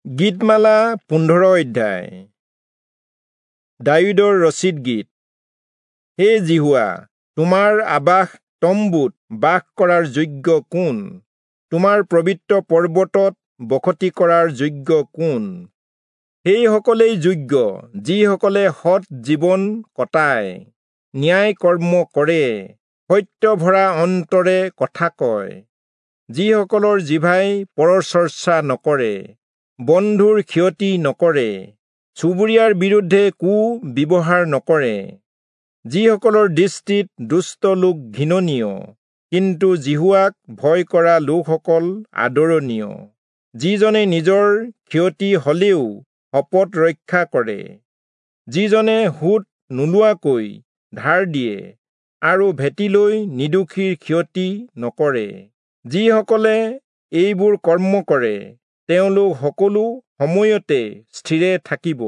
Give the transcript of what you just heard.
গীতমালা 15 অধ্যায়। দায়ূদৰ ৰচিত গীত। হে যিহোৱা, তোমাৰ আবাস তম্বুত বাস কৰাৰ যোগ্য কোন? তোমাৰ পবিত্ৰ পৰ্বতত বসতি কৰাৰ যোগ্য কোন? সেইসকলেই যোগ্য যিসকলে সৎ জীৱন কটায়, ন্যায় কৰ্ম কৰে, সত্য ভৰা অন্তৰে কথা কয়, যিসকলৰ জিভাই পৰচৰ্চা নকৰে, বন্ধুৰ ক্ষতি নকৰে, চুবুৰীয়াৰ বিৰুদ্ধে কু ব্যৱহাৰ নকৰে, যিসকলৰ দৃষ্টিত দুষ্ট লোক ঘৃণনীয়, কিন্তু যিহোৱাক ভয় কৰা লোকসকল আদৰণীয়, যিজনে নিজৰ ক্ষতি হলেও শপত ৰক্ষা কৰে, যিজনে সুত নোলোৱাকৈ ধাৰ দিয়ে আৰু ভেটিলৈ নিৰ্দোষীৰ ক্ষতি নকৰে। যিসকলে এইবোৰ কৰ্ম কৰে, তেওঁলোক সকলো সময়তে স্থিৰে থাকিব।